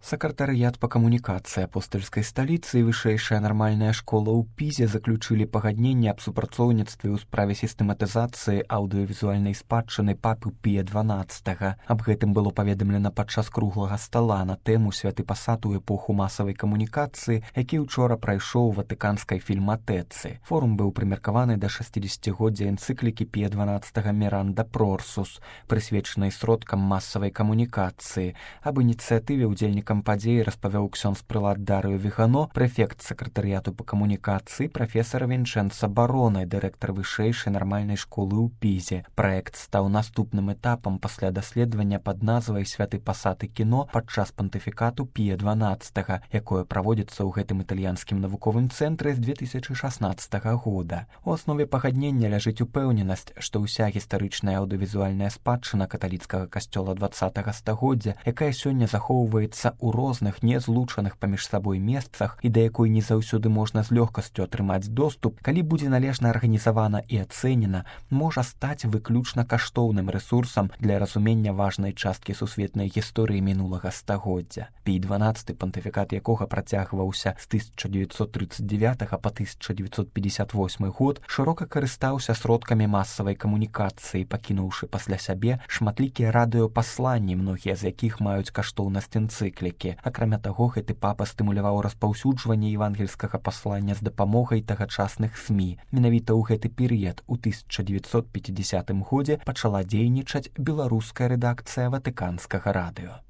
Сакратарыят па камунікацыі апостальскай сталіцы і вышэйшая нармальная школа ў Пізе заключылі пагадненне аб супрацоўніцтве ў справе сістэматызацыі аўдыёвізуальнай спадчыны папы Пія XII. Аб гэтым было паведамлена падчас круглага стала на тэму святы пасад у эпоху масавай камунікацыі, які ўчора прайшоў у ватыканскай фільматэцы. Форум быў прымеркаваны да 60годдзя энцыклікі Пія XII Міранда Прорсус, прысвечанай сродкам масавай камунікацыі. Аб ініцыятыве ўдзельнікам падзеі распавёў ксёндз прылад Дарыо Вігано, прэфект сакратарыяту па камунікацыі, прафесар Вінчэнца Бароне, дырэктар вышэйшай нармальнай школы ў Пізе. Праект стаў наступным этапам пасля даследавання пад назвай «Святы пасад і кіно» падчас пантыфікату Пія XII, якое праводзіцца ў гэтым італьянскім навуковым цэнтры з 2016 года. У аснове пагаднення ляжыць упэўненасць, што ўся гістарычная аўдыёвізуальная спадчына каталіцкага касцёла 20 стагоддзя, якая сёння захоўваецца у розных незлучаных паміж сабой месцах і да якой не заўсёды можна з лёгкасцю атрымаць доступ, калі будзе належна арганізавана і ацэнена, можа стаць выключна каштоўным рэсурсам для разумення важнай часткі сусветнай гісторыі мінулага стагоддзя. Пій XII, пантыфікат якога працягваўся з 1939 па 1958 год, шырока карыстаўся сродкамі масавай камунікацыі, пакінуўшы пасля сябе шматлікія радыёпасланні, многія з якіх маюць каштоўнасць энцыклікі. Акрамя таго, гэты папа стымуляваў распаўсюджванне евангельскага паслання з дапамогай тагачасных СМІ. Менавіта ў гэты перыяд у 1950 годзе пачала дзейнічаць беларуская рэдакцыя ватыканскага радыё.